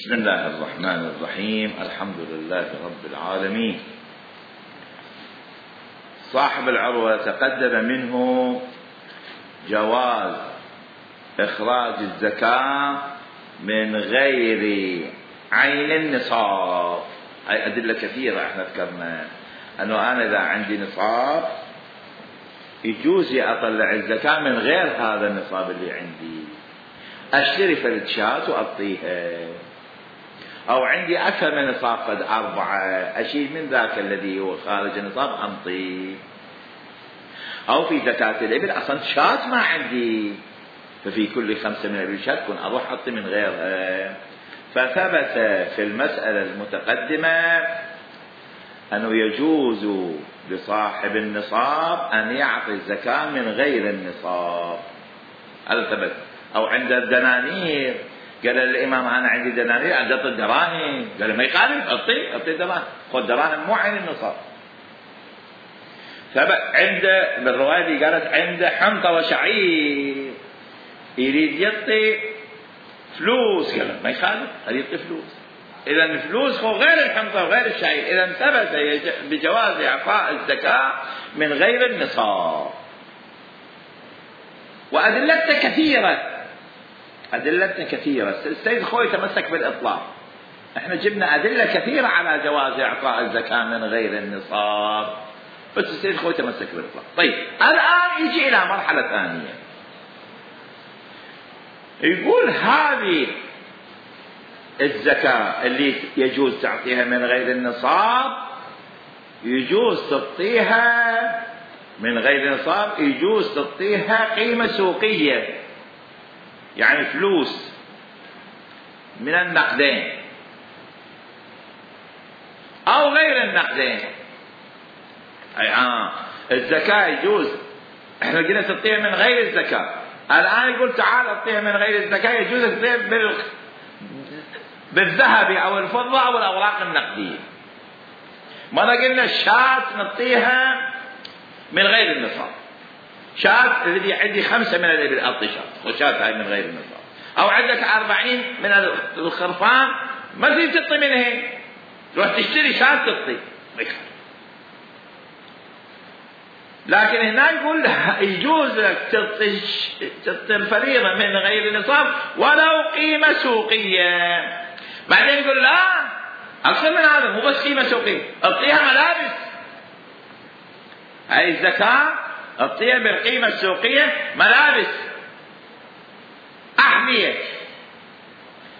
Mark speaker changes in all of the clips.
Speaker 1: بسم الله الرحمن الرحيم. الحمد لله رب العالمين. صاحب العروة تقدم منه جواز إخراج الزكاة من غير عين النصاب. هاي أدلة كثيرة احنا ذكرنا أنه أنا إذا عندي نصاب يجوز أطلع الزكاة من غير هذا النصاب اللي عندي. أشتري فلت شاة وأعطيها، أو عندي أكثر من نصاب قد 4، أشيل من ذاك الذي هو خارج النصاب أنطي. أو في زكاة الإبل أصلا شاة ما عندي، ففي كل 5 من الإبل شاة كن أروح أعطي من غيرها. فثبت في المسألة المتقدمة أنه يجوز لصاحب النصاب أن يعطي الزكاة من غير النصاب. هذا ثبت. أو عند الدنانير قال الإمام أنا عندي دنانير، عندي الدراهم، قال ما يخالف أعطي دراهم، خذ دراهم مو عين النصاب. عند بالرواية اللي قالت عند حنطة وشعير يريد يعطي فلوس، قال ما يخالف يعطي فلوس. إذا الفلوس هو غير الحنطة وغير الشعير. إذا ثبت بجواز إعطاء الزكاة من غير النصاب. وأدلتنا كثيرة. السيد خوي تمسك بالإطلاق. احنا جبنا أدلة كثيرة على جواز إعطاء الزكاة من غير النصاب، بس السيد خوي تمسك بالإطلاق. طيب الآن يجي إلى مرحلة ثانية، يقول هذه الزكاة اللي يجوز تعطيها من غير النصاب يجوز تعطيها من غير نصاب، يجوز تعطيها قيمة سوقية، يعني فلوس من النقدين أو غير النقدين. الزكاة يجوز، احنا قلنا تعطيها من غير الزكاة، الآن يقول تعال اعطيها من غير الزكاة، يجوز تعطيها بالذهب أو الفضة أو الأوراق النقدية. ماذا قلنا؟ الشاة نعطيها من غير النصاب. شاة الذي عندي 5 من الإبل أعطي شاة، وشاة هاي من غير النصاب. أو عندك 40 من الخرفان ما تريد تعطي منها، تروح تشتري شاة تعطي. لكن هنا يقول يجوز لك تعطي الفريضة من غير النصاب ولو قيمة سوقية. بعدين يقول لا أكثر من هذا، مو بس قيمة سوقية، أعطيها ملابس. هاي الزكاة أعطيها بالقيمة السوقية، ملابس، أحذية،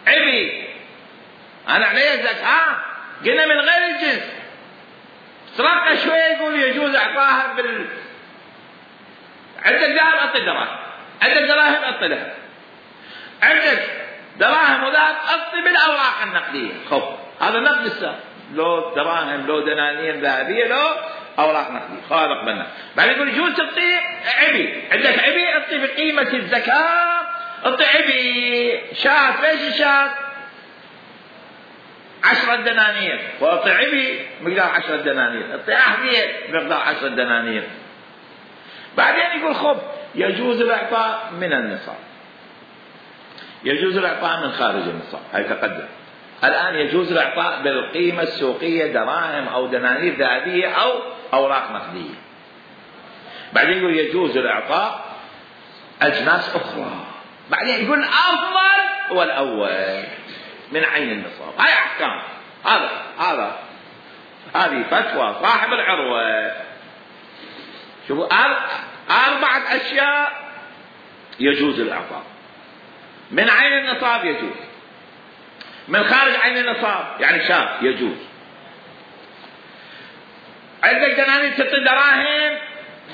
Speaker 1: عبي. أنا عليه زكاة قلنا من غير الجنس. سرقنا شوية يقول يجوز إعطاها عندك ذهب أعطي دراهم، عندك دراهم أعطي ذهب، عندك دراهم وذهب أعطي بالأوراق النقدية. خب هذا نقد السهم، لو دراهم لو دنانير ذهبية لو أوراق نقدية، خالق منا. بعد يقول يجوز تعطي عبي، عندك عبي أعطي بقيمة الزكاة، أعطي عبي. شاة، ليش الشاة 10 دنانير، وأعطي عبي مقدار 10 دنانير، أعطي أحذية مقدار 10 دنانير. بعدين يقول خب يجوز الإعطاء من النصاب، يجوز الإعطاء من خارج النصاب. هاي تقدم. الآن يجوز الإعطاء بالقيمة السوقية، دراهم أو دنانير ذهبية أو أوراق نقدية. بعدين يقول يجوز الإعطاء أجناس أخرى. بعدين يقول الأفضل هو الأول من عين النصاب. هاي أحكام. هذه فتوى صاحب العروة. شوفوا 4 أشياء يجوز الإعطاء. من عين النصاب يجوز، من خارج عين النصاب يعني شاب يجوز. عندك دنانير تعطي دراهم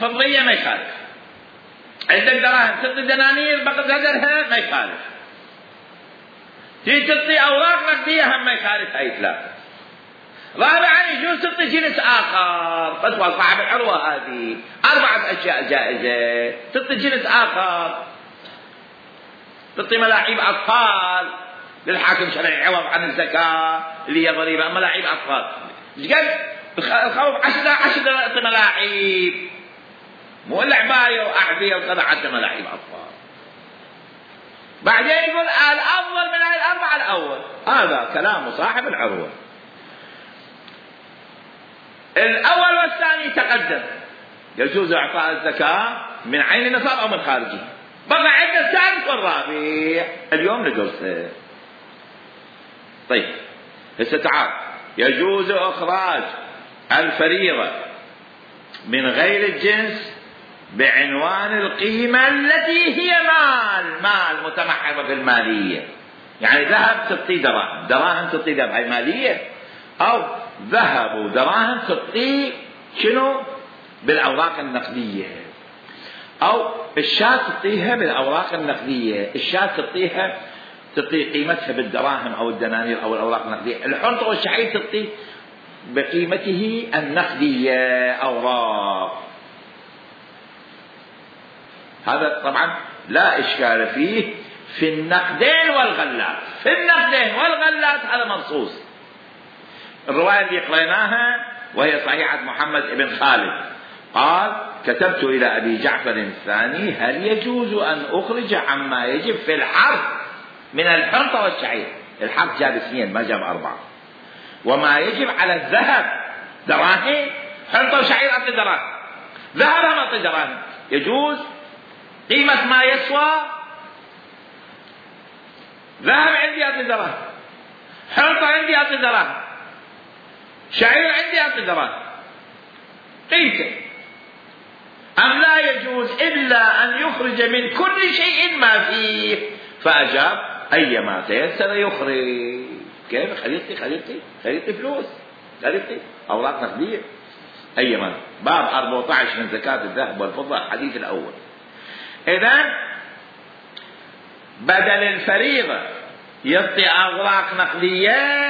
Speaker 1: فضية ما يخالف، عندك دراهم تعطي دنانير بقدرها ما يخالف، تيجي تعطي أوراق نقدية هم ما يخالف. هاي 3. رابعا يجوز تعطي جنس آخر. فتوى صاحب العروة هذه 4 أشياء جائزة. تعطي جنس آخر، تعطي ملاعب أطفال للحاكم شرعي عوض عن الزكاة اللي هي ضريبة، ملاعب أطفال. ايش قال؟ الخوف 10 تعطي ملاعب، مو العباية وأحذية وكذا، 10 ملاعب أطفال. بعدين يقول الأفضل من الأربعة الأول. هذا كلام صاحب العروة. الأول والثاني تقدم، يجوز إعطاء الزكاة من عين النصاب أو من خارجه. بقى عندنا الثالث والرابع اليوم ندرسه. طيب هسه تعال، يجوز إخراج الفريضة من غير الجنس بعنوان القيمة التي هي مال متمحضة في المالية. يعني ذهب تعطي دراهم، دراهم تعطي ذهب، هاي مالية. أو ذهب ودراهم تعطي شنو؟ بالأوراق النقدية. أو الشاة تعطيها بالأوراق النقدية، الشاة تعطي قيمتها بالدراهم أو الدنانير أو الأوراق النقدية. الحنطة والشعير تعطي بقيمته النقدية أوراق. هذا طبعا لا إشكال فيه في النقدين والغلات. في النقدين والغلات هذا منصوص. الرواية اللي قريناها وهي صحيحة محمد بن خالد قال: كتبت إلى أبي جعفر الثاني: هل يجوز أن أخرج عما يجب في الحرث من الحنطة والشعير؟ الحرث جاب 2 ما جاب 4. وما يجب على الذهب دراهم، حنطة وشعير أعطي دراهم، ذهب ما أعطي دراهم. يجوز قيمة ما يسوى، ذهب عندي أعطي دراهم، حنطة عندي أعطي دراهم، شعير عندي أعطي دراهم، قيمته. أم لا يجوز إلا أن يخرج من كل شيء ما فيه؟ فأجاب: أيما تيسر يخرج. كيف؟ خليطي فلوس، خليطي أوراق نقدية. أيما. باب 14 من زكاة الذهب والفضة، الحديث الأول. إذن بدل الفريضة يعطي أوراق نقدية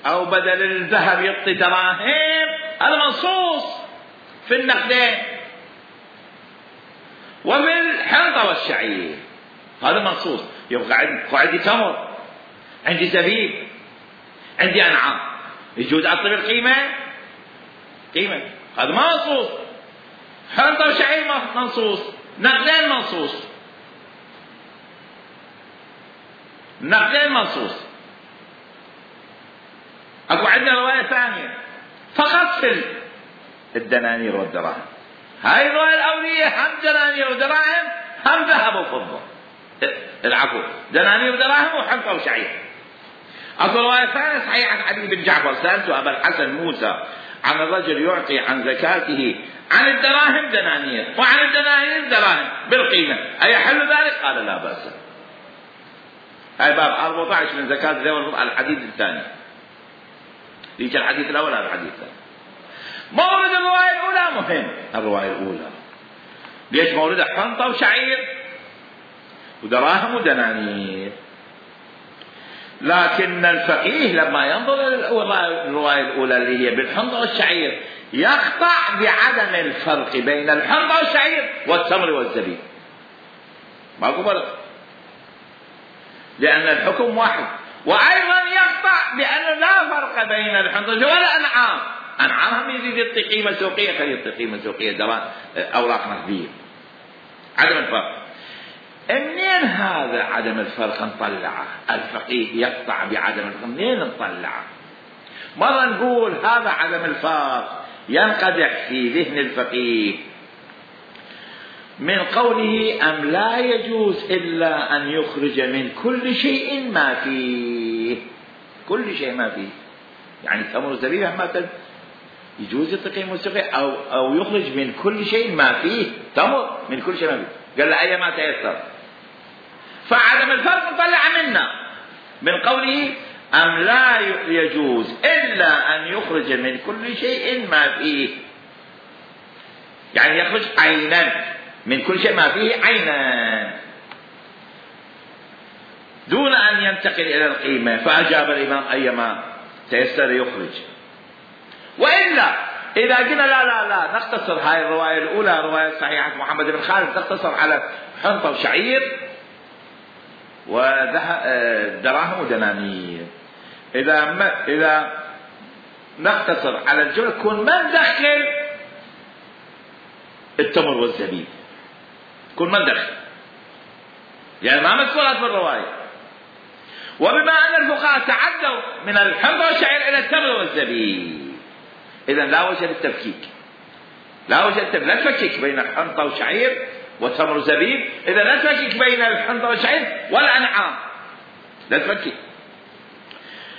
Speaker 1: أو بدل الذهب يعطي دراهم، هذا منصوص في النقدين. وفي الحنطة والشعير هذا منصوص. يبقى عندي تمر، عندي زبيب، عندي أنعام، يجوز أعطي بالقيمة؟ قيمة، هذا ما منصوص. حنطة وشعير منصوص، نقدين منصوص، نقدين منصوص. أكو عندنا رواية ثانية فقط في الدنانير والدراهم. هاي الرواية الأولية هم دنانير ودراهم، هم ذهب وفضة. العفو، دنانير ودراهم وحنطة وشعير. أكو رواية ثانية صحيحة علي بن جعفر: سألت أبا الحسن موسى عن الرجل يعطي عن زكاته عن الدراهم دنانير وعن الدنانير دراهم بالقيمة، أيحل ذلك؟ قال: لا بأس. هاي باب 14 من زكاة الذهب والفضة، الحديث الثاني. ليش الحديث الأول هذا الحديث الثاني؟ مورد الرواية الأولى مهم. الرواية الأولى ليش موردها حنطة وشعير ودراهم ودنانير. لكن الفقيه لما ينظر الرواية الأولى اللي هي بالحنطة والشعير يقطع بعدم الفرق بين الحنطة والشعير والتمر والزبيب. ماكو فرق، لأن الحكم واحد. وأيضا يقطع بأن لا فرق بين الحنطة والأنعام. أنعامهم يزيد يعطي قيمة سوقية، خلي يعطي قيمة سوقية، أوراق نقدية. عدم الفرق. منين هذا عدم الفرق نطلعه؟ الفقيه يقطع بعدم الفرق، منين نطلعه؟ مرة نقول هذا عدم الفرق ينقدح في ذهن الفقيه من قوله: أم لا يجوز إلا أن يخرج من كل شيء ما فيه. كل شيء ما فيه يعني تمر الزبيب مثلا يجوز يعطي موسيقى أو يخرج من كل شيء ما فيه تمر، من كل شيء ما فيه. قال: أي ما تيسر. فعدم الفرق نطلع منا من قوله: أم لا يجوز إلا أن يخرج من كل شيء ما فيه، يعني يخرج عينا من كل شيء ما فيه عينا دون أن ينتقل إلى القيمة. فأجاب الإمام: أيما تيسر يخرج. وإلا إذا قلنا لا نقتصر هاي الرواية الأولى رواية صحيحة محمد بن خالد تقتصر على حنطة وشعير ودراهم ودنانير، إذا نقتصر على الجملة كون ما ندخل التمر والزبيب، كون ما ندخل. يعني ما مذكورات بالرواية. وبما أن الفقهاء تعدوا من الحنطة والشعير إلى التمر والزبيب، إذا لا وجه للتفكيك، لا وجه لا تفكك بين الحنطة والشعير وتمر وزبيب، إذا لا تفكك بين الحنطة والشعير والأنعام، لا تفكك.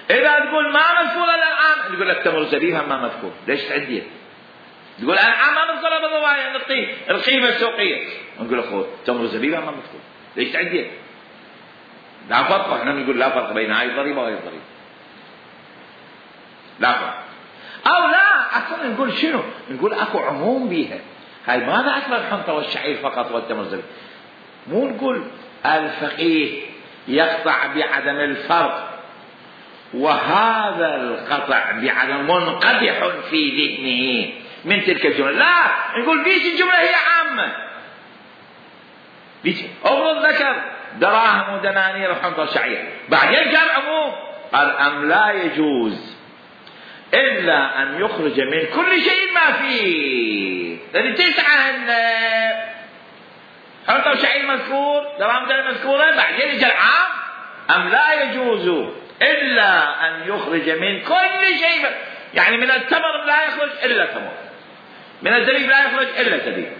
Speaker 1: إذا تقول ما مذكور الأنعام، نقول لك تمر وزبيب هم ما مذكور، ليش تعديه؟ تقول الأنعام ما مذكورة بالرواية، نعطيه القيمة السوقية، نقول أخوه تمر وزبيب هم ما مذكور، ليش تعديه؟ لا فرق، احنا نقول لا فرق بين هاي الضريبة وهاي الضريبة، لا فرق. أو لا أصلا نقول شنو؟ نقول أكو عموم بيها، هاي ما ذكر الحنطة والشعير فقط والتمر والزبيب، مو نقول الفقيه يقطع بعدم الفرق وهذا القطع بعدم منقدح في ذهنه من تلك الجملة، لا نقول بيش الجملة هي عامة، بيش أفرض ذكر دراهم ودنانير وحنطة وشعير، بعدين كان عموم، قال أم لا يجوز إلا أن يخرج من كل شيء ما فيه، لأن 9 حنطة وشعير مذكور، دراهم ودنانير مذكورة، بعدين يجي العام أم لا يجوز إلا أن يخرج من كل شيء، يعني من التمر لا يخرج إلا تمر، من الزبيب لا يخرج إلا زبيب،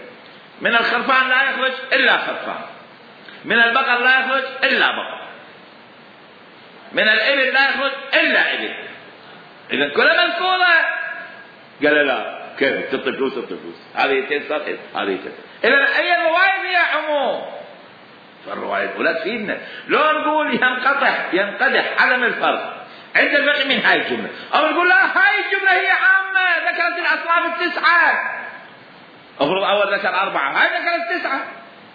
Speaker 1: من الخرفان لا يخرج إلا خرفان، من البقر لا يخرج إلا بقر، من الإبل لا يخرج إلا إبل. إذا كلها مذكورة. قال لا كيف تعطي فلوس تعطي فلوس، هذه يتيسر هذه يتيسر. إذا أي الرواية فيها عموم، فالرواية الأولى تفيدنا. لو نقول ينقدح عدم الفرق عند الفقه من هاي الجملة، أو نقول لا هاي الجملة هي عامة ذكرت الأصناف 9، أفرض أول ذكر 4، هاي ذكرت 9.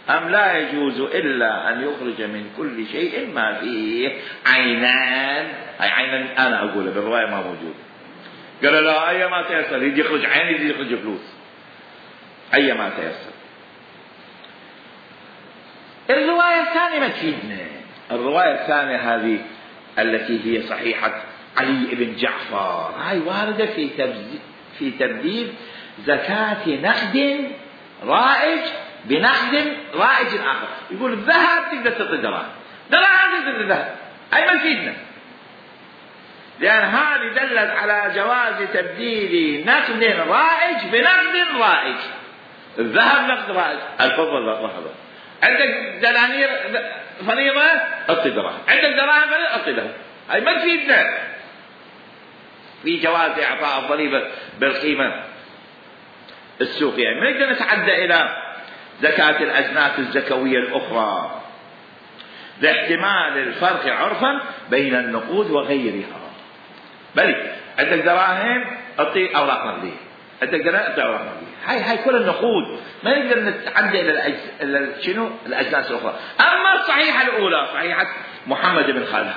Speaker 1: أم لا يجوز إلا أن يخرج من كل شيء ما فيه عينان، هاي عينان أنا أقوله بالرواية ما موجود. قال لا أي ما تيسر، يجي يخرج عين يجي يخرج فلوس، أي ما تيسر. الرواية الثانية ما تفيدنا، الرواية الثانية هذه التي هي صحيحة علي بن جعفر، هاي واردة في تبديل زكاة نقد رائج بنقد رائج آخر. يقول الذهب تقدر تعطي دراهم، دراهم تقدر الذهب، أي ما تفيدنا، لأن هذه دلت على جواز تبديل نقد رائج بنقد رائج. الذهب نقد رائج، الفضة لحظة، عندك دنانير فريضة أعطي دراهم، عندك دراهم فريضة أعطي ذهب، أي ما تفيدنا في جواز إعطاء الضريبة بالقيمة السوقية. ما نقدر نتعدى إلى زكاة الأجناس الزكوية الأخرى لاحتمال الفرق عرفا بين النقود وغيرها. بل عندك دراهم أعطي أوراق نقدية، عندك دراهم أعطي أوراق نقدية، هاي كل النقود، ما نقدر نتعدى إلى شنو الأجناس الأخرى. أما الصحيحة الأولى صحيحة محمد بن خالد،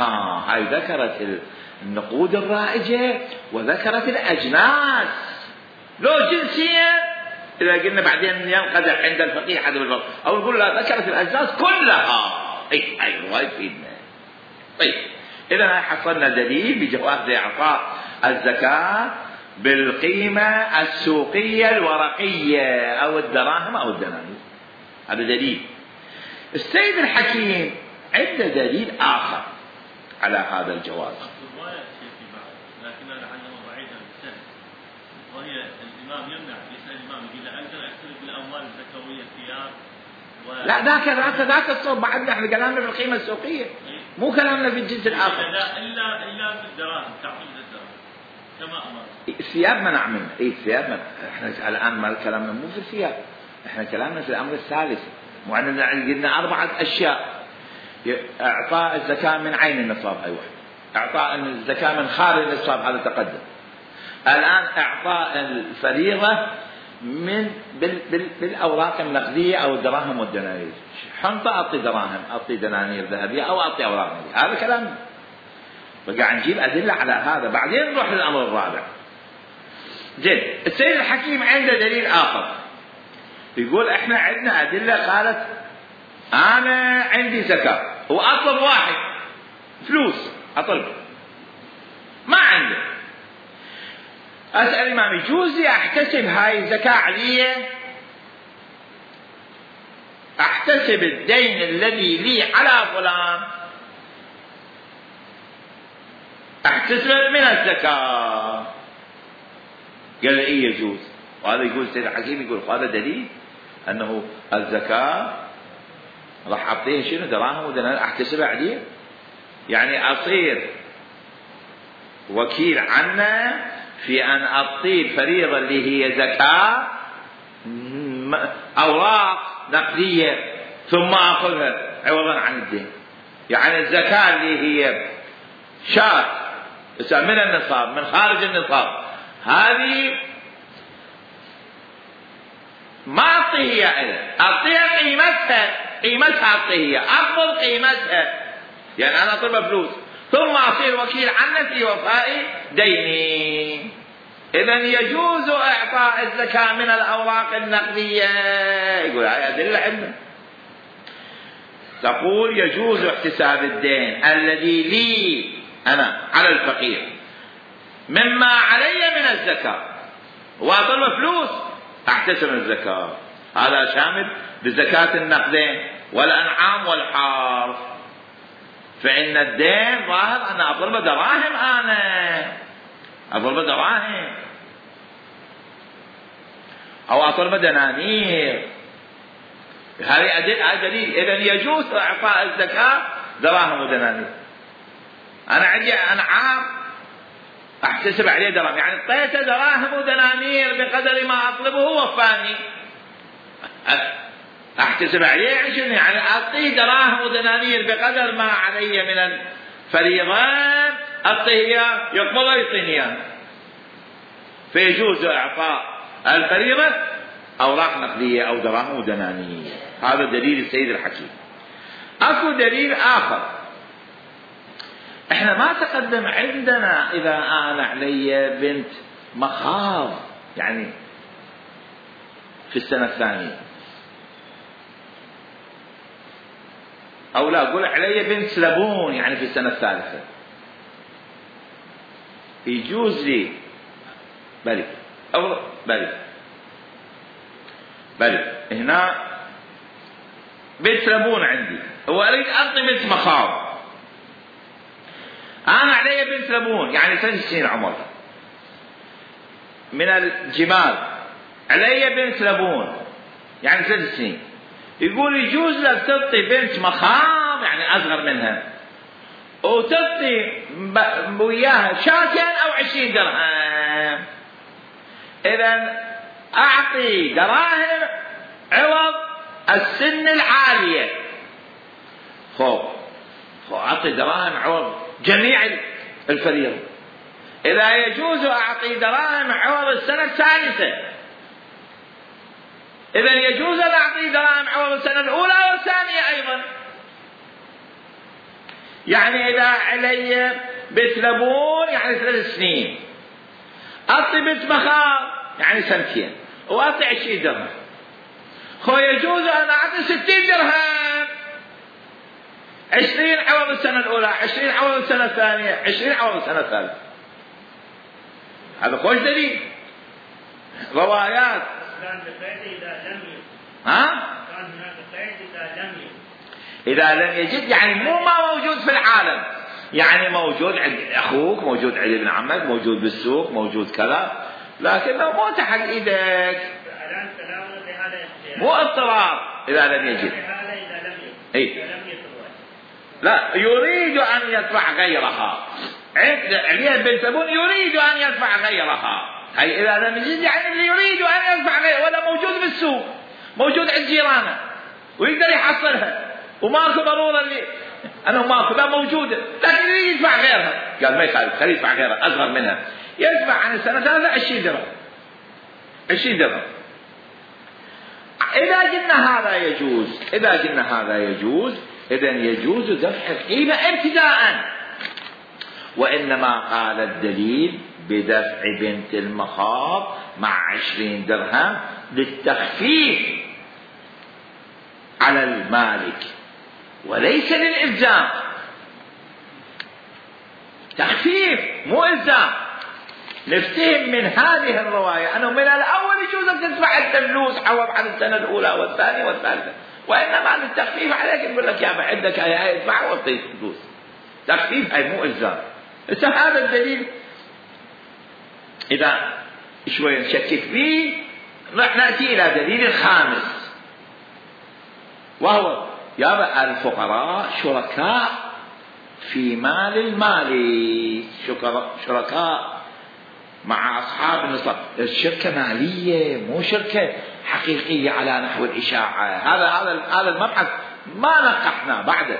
Speaker 1: هاي ذكرت النقود الرائجة وذكرت الأجناس، لو جنسية إذا قلنا بعدين ينقدح عند الفقيه عدم الفرق، أو نقول لا ذكرت الأجناس كلها، أي رواية فينا. طيب إذا حصلنا دليل بجواز إعطاء الزكاة بالقيمة السوقية الورقية أو الدراهم أو الدنانير، هذا دليل. السيد الحكيم عنده دليل آخر على هذا الجواز،
Speaker 2: لكنها لعله بعيدا بالسهل، وهي الإمام يمنع، يسأل الإمام يقول أقدر أشترك بالأموال الزكوية ثياب
Speaker 1: لا ذاك الصوب بعدنا احنا كلامنا في القيمة السوقية، مو كلامنا في الجنس الآخر.
Speaker 2: لا إلا بالدراهم، تعطيل الدراهم كما أمر.
Speaker 1: الثياب منع منه، الثياب منع. احنا الآن ما كلامنا مو في الثياب، احنا كلامنا في الأمر الثالث، وعندنا قلنا 4 أشياء: إعطاء الزكاة من عين النصاب، هاي واحد. إعطاء الزكاة من خارج النصاب، هذا تقدم. الآن إعطاء الفريضة من بالأوراق النقدية أو الدراهم والدنانير، حنطة أعطي دراهم، أعطي دنانير ذهبية أو أعطي أوراق نقدية، هذا كلام. بقى نجيب أدلة على هذا، بعدين نروح للأمر الرابع. جد السيد الحكيم عنده دليل آخر، يقول إحنا عندنا أدلة قالت أنا عندي زكاة وأطلب واحد فلوس، أطلب ما عنده، أسأل الإمام يجوز لي أحتسب هاي الزكاة عليا، أحتسب الدين الذي لي على فلان أحتسب من الزكاة. قال إيه يجوز. وهذا يقول سيد الحكيم يقول هذا دليل أنه الزكاة راح أعطيه شنو دراهم ودنانير أحتسبها عليه، يعني أصير وكيل عنه في أن أعطي الفريضة اللي هي زكاة أوراق نقدية ثم أخذها عوضا عن الدين. يعني الزكاة اللي هي شاة من النصاب من خارج النصاب هذه ما أعطيها إلى أعطيها قيمتها أعطيها أقبض قيمتها، يعني أنا أطلب فلوس ثم أصير وكيل عنه في وفاء ديني. إذن يجوز إعطاء الزكاة من الأوراق النقدية. يقول هاي أدلة عندنا تقول يجوز احتساب الدين الذي لي أنا على الفقير مما علي من الزكاة وأطلب فلوس أحتسب الزكاة. هذا شامل بزكاة النقدين والأنعام والحرث. فإن الدين ظاهر أن أطلب دراهم، أنا أطلب دراهم أو أطلب دنانير، هذه دليل. إذن يجوز إعطاء الزكاة دراهم ودنانير. أنا عندي أنعام أحتسب عليه دراهم، يعني اعطيته دراهم ودنانير بقدر ما أطلبه وفاني أحتسب عليه. يعني أعطيه دراهم ودنانير بقدر ما علي من الفريضة أعطيه يقبض يعطيني. فيجوز إعطاء الفريضة أوراق نقدية أو دراهم ودنانير. هذا دليل السيد الحكيم. أكو دليل آخر إحنا ما تقدم عندنا إذا أنا علي بنت مخاض يعني في السنة الثانية، أو لا أقول علي بنت سلبون يعني في السنة الثالثة، يجوز لي بلي هنا بنت سلبون عندي وأريد أعطي بنت مخاض. أنا علي بنت سلبون يعني 3 سنين عمر من الجمال، علي بنت سلبون يعني 3 سنين. يقول يجوز لك تعطي بنت مخاض يعني أصغر منها وتعطي وياها 2 أو 20 درهم. إذن أعطي دراهم عوض السن العالية، أعطي دراهم عوض جميع الفريضة. إذا يجوز أعطي دراهم عوض السنة الثالثة، إذا يجوز أن أعطي دراهم عوض السنة الأولى والثانية أيضا. يعني إذا علي بنت لبون يعني 3 سنين، أعطي بنت مخاض يعني 2 سنين وأعطي 20 درهم. يجوز أن أعطي 60 درهم، 20 عوض السنة الأولى، 20 عوض السنة الثانية، 20 عوض السنة الثالثة. هذا خوش دليل. روايات
Speaker 2: كان بقيد إذا لم يجد. كان هناك قيد إذا لم
Speaker 1: يجد يعني مو ما موجود في العالم، يعني موجود عند أخوك، موجود عند ابن عمك، موجود بالسوق، موجود كذا، لكنه مو تحت إيدك، مو اضطرار. إذا لم يجد لا يريد أن يدفع غيرها. عليها بن سلبون يريد أن يدفع غيرها، أي إذا لم يجد يعني اللي يريد أن يدفع غيرها، ولا موجود بالسوق، موجود عند جيرانه ويقدر يحصلها وماكو ضرورة اللي أنه ماكو، لا موجودة، لكن يريد يدفع غيرها. قال ما يخالف، خليه يدفع غيرها أصغر منها، يدفع عن السنة 3 20 درهم 20 درهم. إذا قلنا هذا يجوز، إذن يجوز دفع القيمة ابتداءً. وإنما قال الدليل بدفع بنت المخاض مع 20 درهم للتخفيف على المالك وليس للإلزام. تخفيف مو إلزام. نفتهم من هذه الرواية أنه من الأول يجوز أن تدفع الفلوس عوض عن السنة الأولى والثانية والثالثة، وإنما للتخفيف عليك نقول لك يا أبا عندك هاي ادفع وأعطيك فلوس، تخفيف هاي مو إلزام. هذا الدليل إذا شوية نشكك فيه نأتي إلى دليل خامس، وهو يا أبا الفقراء شركاء في مال المالك، شركاء مع أصحاب النصاب. الشركة مالية مو شركة حقيقية على نحو الإشاعة. هذا المبحث ما نقحنا بعده،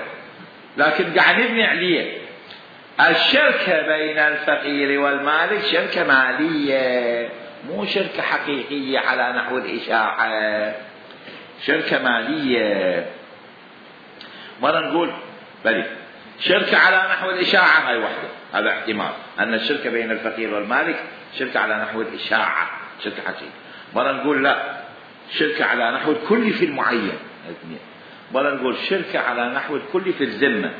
Speaker 1: لكن قاعد نبني عليه. الشركة بين الفقير والمالك شركة مالية مو شركة حقيقية على نحو الإشاعة، شركة مالية. مرة نقول بلي شركة على نحو الإشاعة هاي وحدة، هذا احتمال أن الشركة بين الفقير والمالك شركة على نحو الإشاعة، شركة حقيقية. مرة نقول لا، شركة على نحو الكل في المعين. مرة نقول شركة على نحو الكل في الذمة.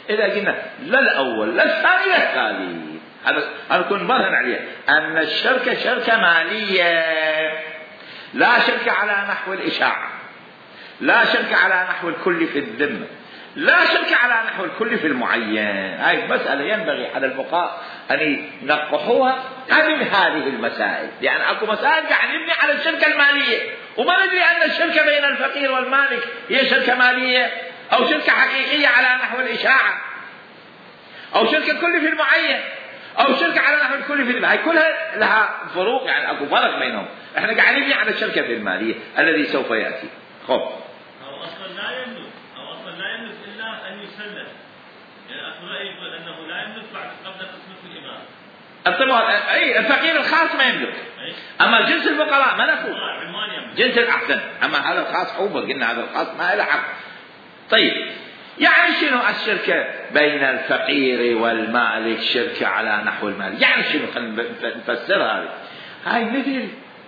Speaker 1: إذا قلنا لا الأول لا الثاني لا الثالث، هذا كن برهن عليه أن الشركة شركة مالية، لا شركة على نحو الإشاعة، لا شركة على نحو الكل في الذمة، لا شركة على نحو الكل في المعين. هاي مسألة ينبغي على الفقهاء أن ينقحوها قبل هذه المسائل، لأن أكو مسائل قاعد نبني على الشركة المالية وما ندري أن الشركة بين الفقير والمالك هي شركة مالية أو شركة حقيقية على نحو الإشاعة، أو شركة كل في المعين، أو شركة على نحو الكل في هاي كلها لها فروق، يعني أكو فرق بينهم. إحنا قاعد نبني على الشركة في المالية الذي سوف يأتي. خب
Speaker 2: أو أصلا لا يملك إلا أن يسلم، يعني أصلا لا يقول أنه لا يملك بعد قبل قسمة الإمام.
Speaker 1: أي الفقير الخاص ما يملك، أما جنس الفقراء ملكه جنس الأحسن. أما هذا الخاص حوبر، قلنا هذا الخاص ما له حق. طيب يعني شنو الشركة بين الفقير والمالك شركة على نحو المال؟ يعني شنو؟ خلينا نفسر هاي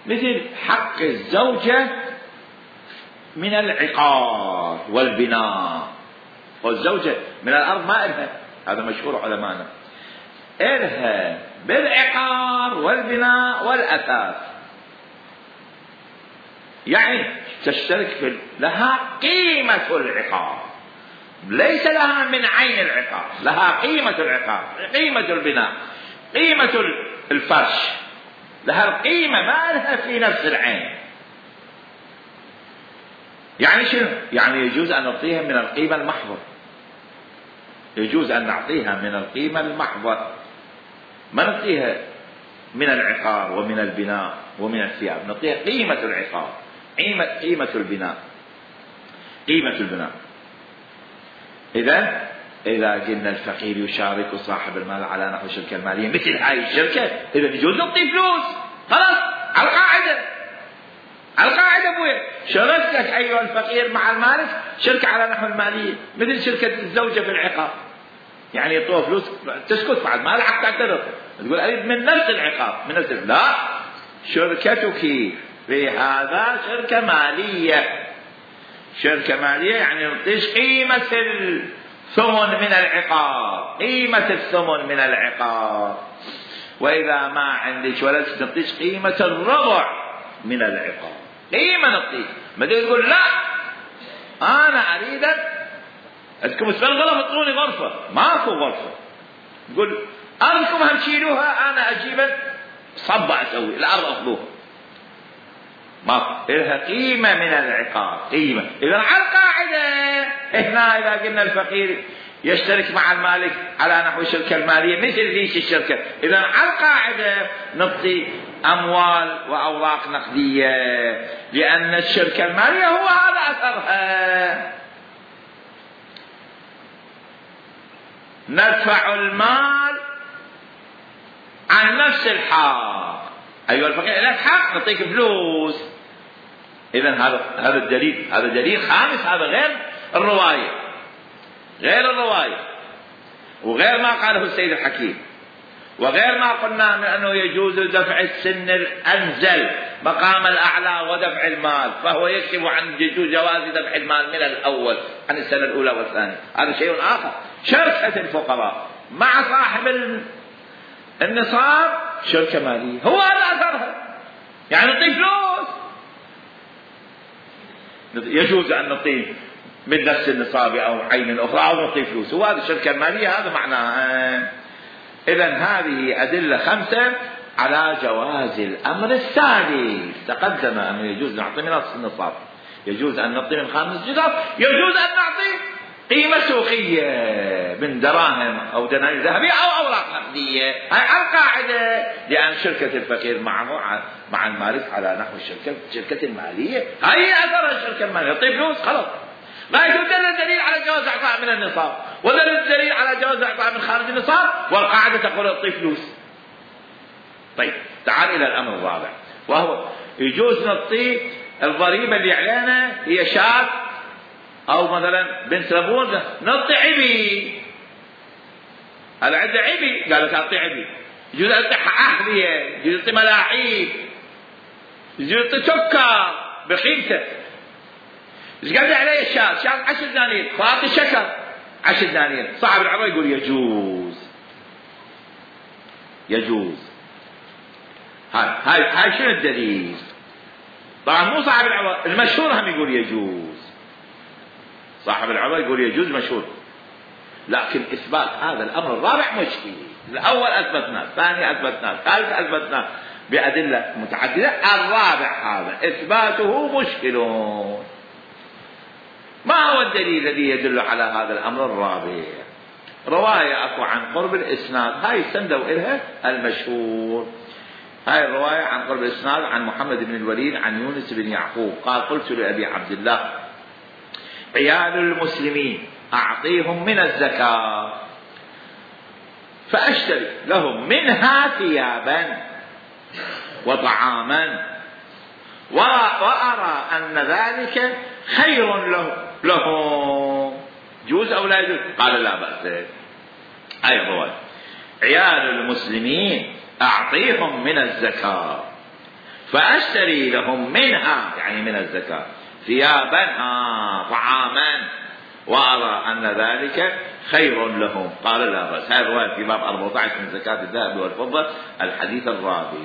Speaker 1: مثل حق الزوجة من العقار والبناء، والزوجة من الأرض ما إلها، هذا مشهور علمانا، إلها بالعقار والبناء والأثاث، يعني تشترك في لها قيمة العقار، ليس لها من عين العقار، لها قيمة العقار، قيمة البناء، قيمة الفرش، لها القيمة ما لها في نفس العين. يعني شنو؟ يعني يجوز أن نعطيها من القيمة المحضة، يجوز أن نعطيها من القيمة المحضة، ما نعطيها من العقار ومن البناء ومن الثياب، نعطيها قيمة العقار، قيمة البناء، قيمة البناء. إذا قلنا الفقير يشارك صاحب المال على نحو الشركة المالية مثل هاي الشركة، إذا يجوز نعطي فلوس، خلاص على القاعدة أبوي شركتك أيها الفقير مع المالك شركة على نحو المالية، مثل شركة الزوجة في العقار، يعني يعطوها فلوس تسكت بعد ما لحق تعترض، تقول أريد من نفس العقار، من نفس لا، شركتك في هذا شركة مالية، شركة مالية يعني نعطيش قيمة الثمن من العقار، قيمة الثمن من العقار، وإذا ما عندك ولد نعطيش قيمة الربع من العقار، قيمة نعطيك. ما تقول لا أنا أريدك أنكم تبغوا تعطوني غرفة، ماكو غرفة، تقول أنكم هم تشيلوها أنا أجيب صبة أسوي الأرض أخذوها، ما لها قيمة من العقار، قيمة. إذا على القاعدة هنا إذا قلنا الفقير يشترك مع المالك على نحو الشركة المالية مثل ليش الشركة، إذا على القاعدة نعطي أموال وأوراق نقدية، لأن الشركة المالية هو هذا أثرها. ندفع المال عن نفس الحق، أيها الفقير لك حق نعطيك فلوس. إذن هذا الدليل، هذا دليل خامس، هذا غير الرواية، غير الرواية، وغير ما قاله السيد الحكيم، وغير ما قلنا من أنه يجوز دفع السن الأنزل مقام الأعلى ودفع المال، فهو يكشف عن جواز دفع المال من الأول عن السنة الأولى والثانية، هذا شيء آخر. شركة الفقراء مع صاحب النصاب شركة مالية، هو هذا أثرها، يعني نعطي فلوس. يجوز أن نعطيه من نفس النصاب أو عين أخرى أو نعطيه فلوس، وهذه الشركة المالية هذا معناها. إذن هذه أدلة 5 على جواز الأمر الثالث. تقدم أنه يجوز نعطي من نفس النصاب، يجوز أن نعطي من 5 جرام، يجوز أن نعطي قيمة سوقية من دراهم أو دنانير ذهبية أو أوراق نقدية. هاي القاعدة، لأن شركة الفقير مع المالك على نحو الشركة المالية، هاي أثر الشركة المالية، يعطي فلوس خلاص. ما يدل الدليل على جواز إعطاء من النصاب، ودل الدليل على جواز إعطاء من خارج النصاب، والقاعدة تقول يعطي فلوس. طيب تعال إلى الأمر الرابع، وهو يجوز نعطي الضريبة اللي علينا هي شاة أو مثلا بنت لبون، نعطي عبي، هذا عنده عبي، قال لك أعطي عبي. يجوز أعطي أحذية، يجوز أعطي ملاعيب، يجوز أعطي سكر بقيمته. إيش قال عليه شاة 10 دنانير، فأعطي شكر 10 دنانير. صاحب العبا يقول يجوز. هاي شنو الدليل؟ طبعا مو صاحب العبا، المشهور هم يقول يجوز. صاحب العبا يقول يجوز مشهور، لكن إثبات هذا الأمر الرابع مشكل. الأول أثبتناه، الثاني أثبتناه، الثالث أثبتناه بأدلة متعددة، الرابع هذا إثباته مشكل. ما هو الدليل الذي يدل على هذا الأمر الرابع؟ رواية أكو عن قرب الإسناد، هاي استندوا إلها المشهور. هاي الرواية عن قرب الإسناد عن محمد بن الوليد عن يونس بن يعقوب قال: قلت لأبي عبد الله: عيال المسلمين أعطيهم من الزكاة فأشتري لهم منها ثيابا وطعاما، وأرى أن ذلك خير لهم، جوز أو لا يجوز؟ قال: لا بأس. أي الرواية: عيال المسلمين أعطيهم من الزكاة فأشتري لهم منها، يعني من الزكاة، ثيابا طعاما، وأرى أن ذلك خير لهم. قال: لا بأس. هذه الرواية في باب 14 من زكاة الذهب والفضة، الحديث الرابع.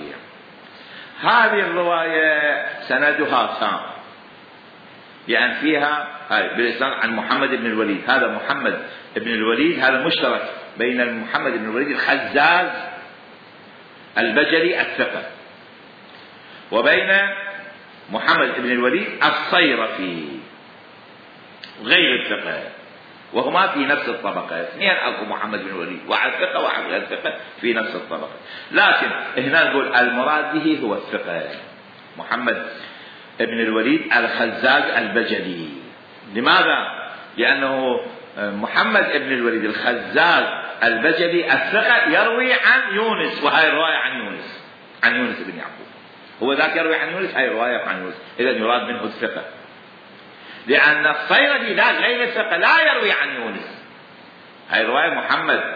Speaker 1: هذه الرواية سندها تام، لأن فيها بالإسناد عن محمد بن الوليد. هذا محمد بن الوليد هذا مشترك بين محمد بن الوليد الخزاز البجلي الثقة وبين محمد بن الوليد الصيرفي غير الثقة، وهما في نفس الطبقة. اثنين أكو محمد بن الوليد، واحد ثقة واحد غير ثقة في نفس الطبقة، لكن هنا نقول المراد به هو الثقة محمد بن الوليد الخزاز البجلي. لماذا؟ لأنه محمد بن الوليد الخزاز البجلي الثقة يروي عن يونس، وهي الرواية عن يونس بن يعقوب. هو ذاك يروي عن يونس، هاي الرواية عن يونس، إذا يراد منه الثقة. لأن الصيرفي ذاك غير الثقة لا يروي عن يونس، هاي رواية محمد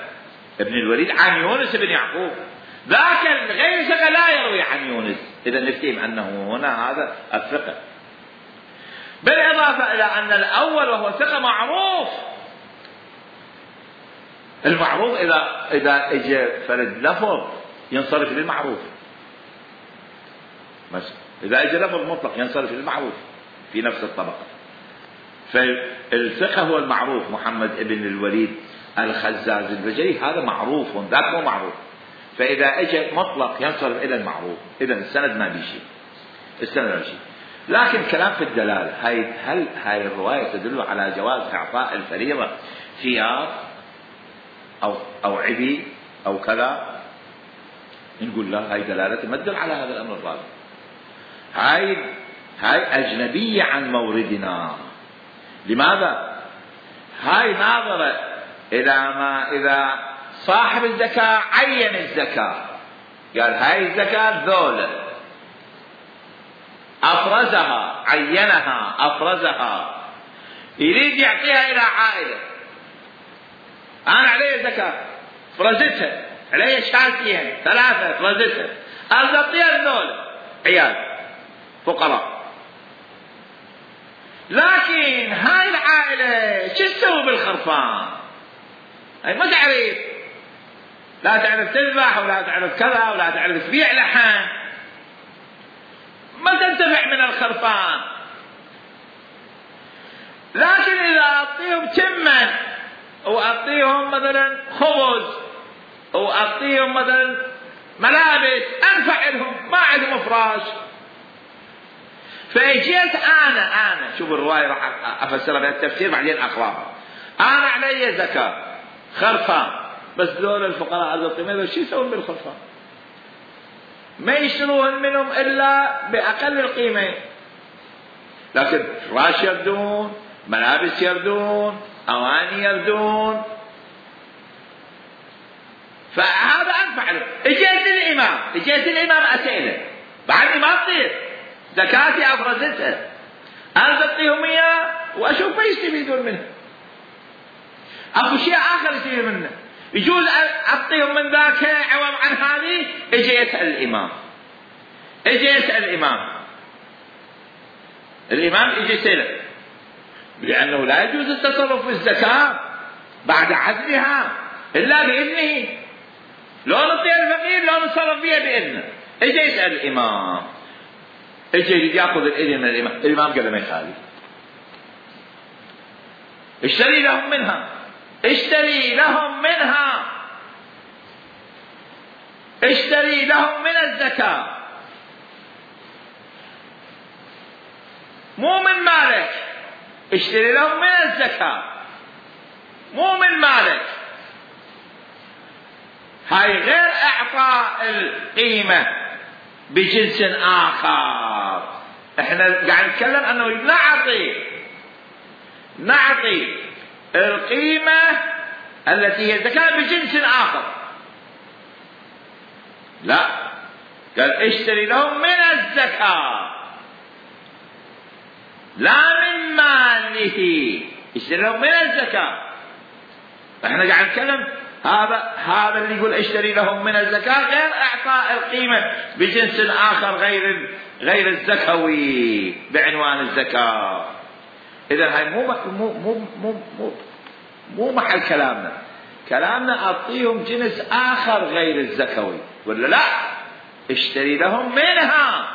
Speaker 1: بن الوليد عن يونس بن يعقوب، ذاك غير الثقة لا يروي عن يونس. إذا نفتهم أنه هنا هذا الثقة، بالإضافة إلى أن الأول وهو ثقة معروف. المعروف إذا اجى فرد لفظ ينصرف للمعروف، إذا اجى لفظ مطلق ينصرف للمعروف في نفس الطبقة. فالثقة هو المعروف، محمد بن الوليد الخزاز البجلي هذا معروف، ذاك مو معروف. فإذا اجى مطلق ينصرف إلى المعروف، إذا السند ما بيشي، لكن كلام في الدلالة. هل هاي الرواية تدل على جواز إعطاء الفريضة ثياب أو عبي أو كذا؟ نقول لا، هاي دلالة ما تدل على هذا الأمر الرابع. هاي أجنبية عن موردنا. لماذا؟ هاي ناظرة إلى ما إذا صاحب الزكاة عين الزكاة، قال هاي الزكاة ذولة، أفرزها، عينها أفرزها، يريد يعطيها إلى عائلة. أنا علي زكاة فرزتها، علي شاتين 3 فرزتها، أعطيها ذولة عيال فقراء. لكن هاي العائلة شو تسوي بالخرفان؟ هاي ما تعرف، لا تعرف تذبح ولا تعرف كذا ولا تعرف تبيع لحم، ما تنتفع من الخرفان. لكن إذا أعطيهم تما وأعطيهم مثلا خبز وأعطيهم مثلا ملابس أنفع لهم، ما عندهم فراش. فاجيت أنا شوف الرواية راح أفسرها بالتفسير بعدين أقراها. أنا علي زكاة خرفان، بس دول الفقراء على القيمة شو يسوون بالخرفان؟ ما يشتروهن منهم إلا بأقل القيمة، لكن فراش يردون، ملابس يردون، أواني يردون، فهذا أنفع له. اجيت الإمام أسئله بعد ما تصير زكاتي أفرزتها، أنا أعطيهم إياه وأشوف ما يستفيدون منه، أكو شيء آخر يستفيد منه، يجوز أعطيهم من ذاك عوض عن هذه. اجي يسأل الإمام يجي يسأله، لأنه لا يجوز التصرف في الزكاة بعد عزلها إلا بإذنه، لو نطيع الفقير لو نتصرف فيها بإذنه. اجي يسأل الإمام، اجي يأخذ الإذن من الإمام قال ما يخالف، اشتري لهم من الزكاة، مو من مالك، اشتري لهم من الزكاة مو من مالك. هاي غير اعطاء القيمة بجنس اخر. احنا قاعد نتكلم انه نعطي القيمة التي هي زكاة بجنس اخر، لا، قال اشتري لهم من الزكاة لا من ماله، اشتري لهم من الزكاة. احنا قاعد نتكلم هذا اللي يقول اشتري لهم من الزكاة غير اعطاء القيمة بجنس اخر غير الزكوي بعنوان الزكاة. اذا هاي مو محل كلامنا اعطيهم جنس اخر غير الزكوي، ولا لا؟ اشتري لهم منها.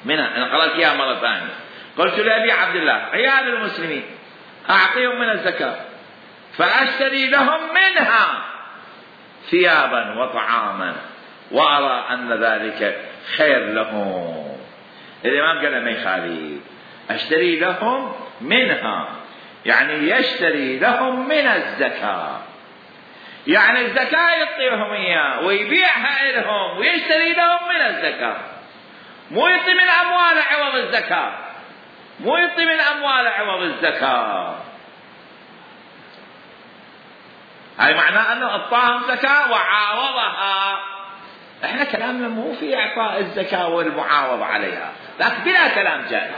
Speaker 1: انا قرأت اياها مرة ثانية. قلت لأبي عبد الله عيال المسلمين اعطيهم من الزكاة، فاشتري لهم منها ثيابا وطعاما وارى ان ذلك خير لهم. الامام قال ما يخالف، اشتري لهم منها يعني يشتري لهم من الزكاة، يعني الزكاة يعطيهم اياه ويبيعها لهم ويشتري لهم من الزكاة، مو يعطي من امواله عوض الزكاة. هاي معناه انه اعطاهم زكاة وعاوضها. احنا كلامنا مو في اعطاء الزكاة والمعاوضة عليها، لكن بلا كلام جائز.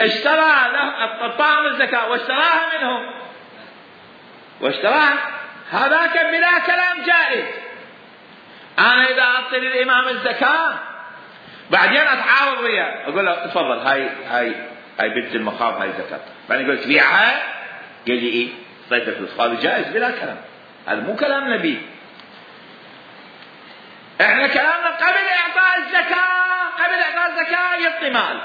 Speaker 1: اشترى لهم اعطاهم الزكاة واشتراها منهم هذاك بلا كلام جائز. انا اذا اعطي للامام الزكاة بعدين اتعاوض وياه، اقول له تفضل هاي بنت المخاض هاي زكاة، بعدين يقول تبيعها، قال لي ايه طيب فلوس، هذا جائز بلا كلام. هذا مو كلام نبي. احنا كلامنا قبل اعطاء الزكاة يعطي مال،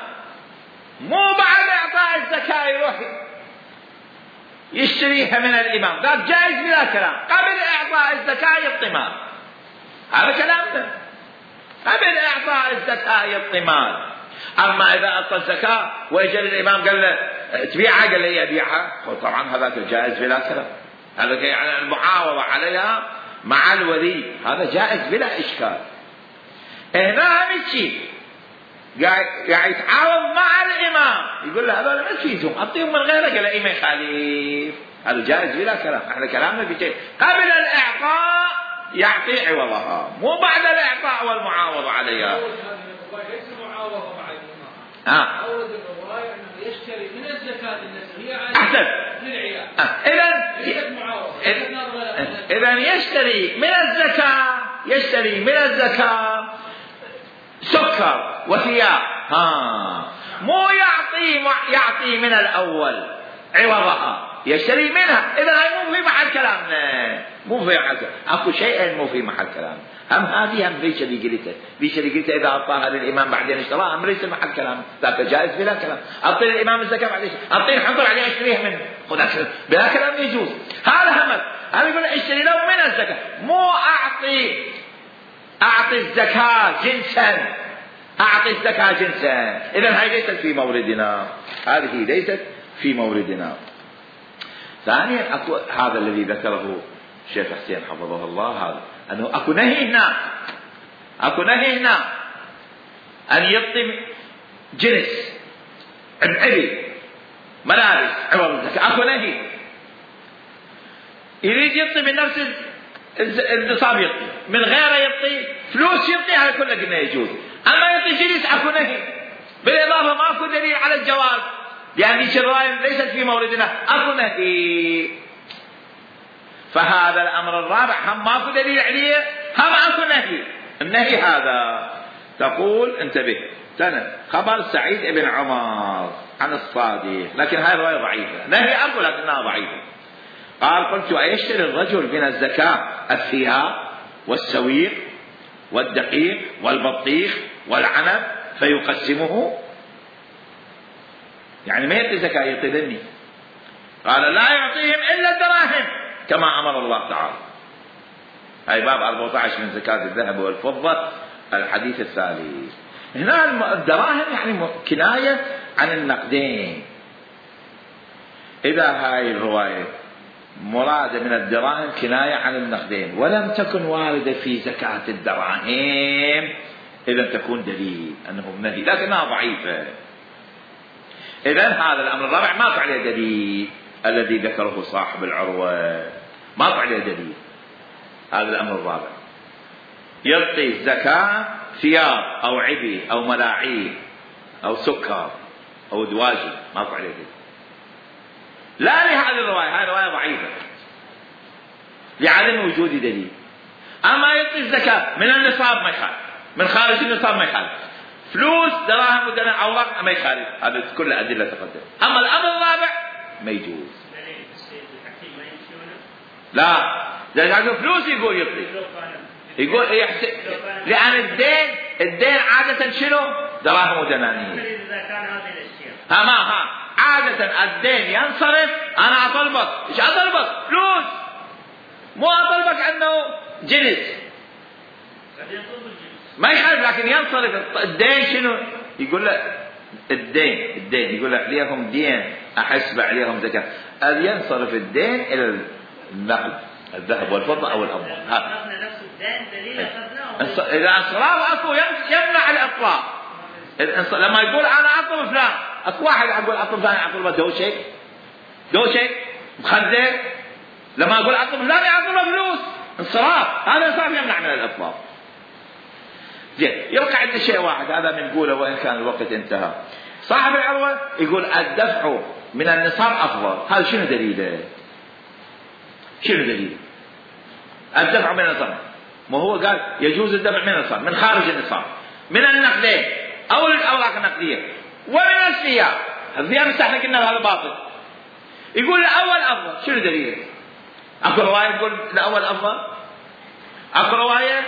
Speaker 1: مو بعد اعطاء الزكاة يروح يشتريها من الامام، ذاك جائز بلا كلام. قبل اعطاء الزكاة يعطي مال، هذا كلامنا. قبل اعطاء الزكاة يعطي مال. اما اذا اعطى الزكاة واجى الامام قال له تبيعها، قال له ابيعها، طبعا هذاك جائز بلا كلام. هذا يعني المعاوضة عليها مع الولي، هذا جائز بلا اشكال. هنا همشي قاعد يتعاوض مع الامام، يقول له هذول ما تفيدهم، اعطيهم من غيرك، قال له ما يخالف، هذا جائز بلا كلام. احنا كلامنا بشيء قبل الاعطاء يعطي عوضها، مو بعد الاعطاء والمعاوضة عليها.
Speaker 3: ليس معاوضة مع الامام، عوض الرواية انه يشتري من الزكاة التي هي
Speaker 1: احسن
Speaker 3: للعيال.
Speaker 1: اذا يشتري من الزكاة سكر وثياب، مو يعطي من الاول عوضها، يشتري منها. إذا هاي مو في محل كلامنا، مو في محل كلامنا. أكو شيء مو في محل كلامنا. هم هذه هم ليش اللي قلته، ليش اللي قلته إذا أعطاها للإمام بعدين اشتراها هم ليس محل كلام، ذاك جائز بلا كلام. أعطي الإمام الزكاة بعدين، أعطيه حنطر عليه أشتريها منه، خذ بلا كلام يجوز. هذا همك. هذا يقول اشتري له من الزكاة، مو أعطي الزكاة جنسا، أعطي الزكاة جنسا. إذا هاي ليست في موردنا، هذه ليست في موردنا. ثانيا أكو هذا الذي ذكره الشيخ حسين حفظه الله، هذا أنه أكو نهي هنا أن يعطي جنس عبء ملابس عوض الزكاة، أكو نهي. يريد يعطي من نفس النصاب يعطي، من غيره يعطي فلوس يعطي، هذا كله قلنا يجوز. أما يعطي جنس أكو نهي. بالإضافة ماكو دليل على الجواز، لأن هذه الرواية ليست في موردنا، أكو نهي. فهذا الأمر الرابع هم ماكو دليل عليه، هم أكو نهي. النهي هذا تقول انتبه، خبر سعيد بن عمر عن الصادق، لكن هاي الرواية ضعيفة. نهي أقول لكنها ضعيفة. قال: قلت: أيشتري الرجل من الزكاة الثياب والسويق والدقيق والبطيخ والعنب فيقسمه؟ يعني ما يعطي زكاة، يعطي ذني. قال: لا يعطيهم إلا الدراهم كما أمر الله تعالى. هاي باب 14 من زكاة الذهب والفضة، الحديث الثالث. هنا الدراهم يعني كناية عن النقدين. إذا هاي الرواية مراد من الدراهم كناية عن النقدين ولم تكن واردة في زكاة الدراهم، إذا تكون دليل أنه نهي، لكنها ضعيفة. إذن هذا الأمر الرابع ما عليه دليل، الذي ذكره صاحب العروة ما عليه دليل. هذا الأمر الرابع يعطي الزكاة ثياب أو عبي أو ملاعيب أو سكر أو دواجن، ما عليه دليل. لا لهذه الرواية، هذه الرواية ضعيفة لعدم وجود دليل. أما يعطي الزكاة من النصاب ما يخالف، من خارج النصاب ما يخالف، فلوس دراهم ودراهم أوراق ما يخالف، هذا كل أدلة تقدم. أما الأمر الرابع ما يجوز. لا، لأنه فلوس يقول يعطي، يقول يحسن، لأن الدين عادة شنو؟ دراهم ودنانير. عادة الدين ينصرف، أنا أطلبك، إيش أطلبك؟ فلوس، مو أطلبك أنه جنس ما يخالف، لكن ينصرف الدين شنو؟ يقول له الدين يقول له عليهم دين أحسب عليهم زكاة، ينصرف الدين إلى النقد، الذهب والفضة أو الأموال. إذا انصراف أكو يمنع الإطلاق. لما يقول أنا أطلب فلان، أكو واحد يقول أطلب فلان يعطله دوشي مخدر، لما يقول أطلب فلان يعطله فلوس، انصراف، هذا انصراف يمنع من الإطلاق. زين، يبقى عندنا شيء واحد هذا بنقوله وإن كان الوقت انتهى. صاحب العروة يقول الدفع من النصاب أفضل، هذا شنو دليله؟ الدفع من النصاب، ما هو قال يجوز الدفع من النصاب، من خارج النصاب، من النقدين أو الأوراق النقدية ومن الثياب. الثياب استحنا قلنا هذا باطل. يقول الأول أفضل، شنو دليله؟ أكو رواية تقول الأول أفضل؟ أكو رواية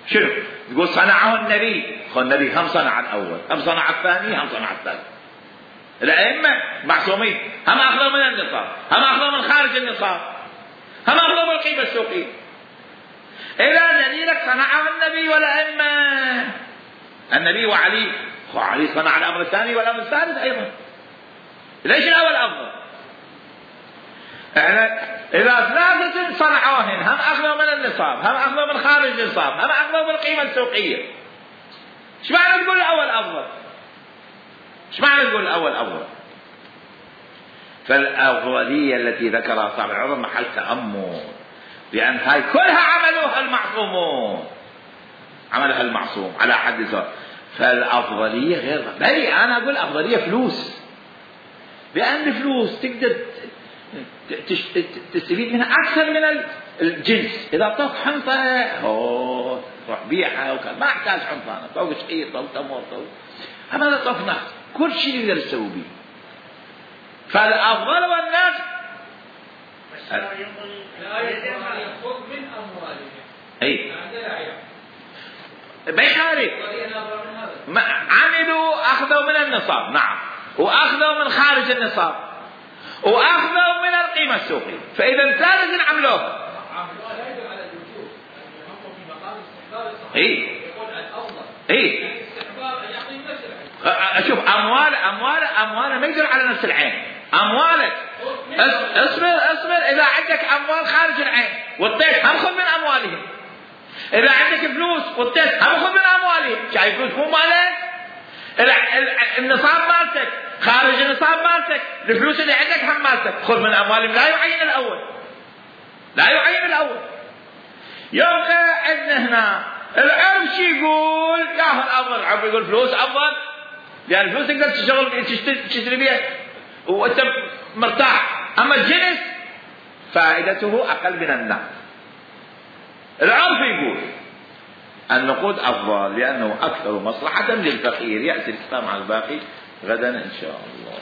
Speaker 1: شنو؟ يقول صنعه النبي، النبي هم صنع الأول، هم صنع الثاني، هم صنع الثالث. الأئمة معصومين، هم أخذوا من النصاب، هم أخذوا من خارج النصاب، هم أخذوا من القيمة السوقية. إذا دليلك صنعه النبي والأئمة، النبي وعلي صنع الأمر الثاني والأمر الثالث أيضا. ليش الأول أفضل؟ إذا ثلاثة صنعوهن، هم أخذوا من النصاب، هم أخذوا من خارج النصاب، هم أخذوا من القيمة السوقية، إيش معنى تقول الأول أفضل؟ فالأفضلية التي ذكرها صاحب العروة محل تأمل، لأن هاي كلها عملها المعصوم على حد ذاته. فالأفضلية غير، بل أنا أقول أفضلية فلوس، لأن الفلوس تقدر تستفيد منها أكثر من الجنس. إذا أعطوك حنطة روح بيعها وكذا، ما أحتاج حنطة، أعطوك شيء أو تمر، أما إذا أعطوك نقد كل شيء يقدر يسوي به. فالأفضل والنقد
Speaker 3: خذ من أموالهم.
Speaker 1: أي بيخالف عملوا أخذوا من النصاب، نعم، وأخذوا من خارج النصاب، وأخذوا من القيمة السوقية، فإذا ثالث عملوه.
Speaker 3: لا يدل على الوجوب، هم في مقام استحباب الصحيح. يقول الأفضل استحباب أن يعطي نفس العين.
Speaker 1: شوف أموال ما يدل على نفس العين. أموالك اصبر إذا عندك أموال خارج العين والطيش هم خذ من أموالهم. إذا عندك فلوس والطيش هم خذ من أموالهم. شايف فلوس مو مالك؟ النصاب مالتك خارج النصاب مالتك، الفلوس اللي عندك هم مالتك، خذ من أموالهم. لا يعين الأول. يبقى عندنا هنا العرف شي يقول ياخذ أفضل، العرف يقول فلوس أفضل، يعني الفلوس تقدر تشتري بيها وأنت مرتاح، أما الجنس فائدته أقل من النقد. العرف يقول النقود أفضل لأنه أكثر مصلحة للفقير. يأتي الكلام على الباقي غدا إن شاء الله.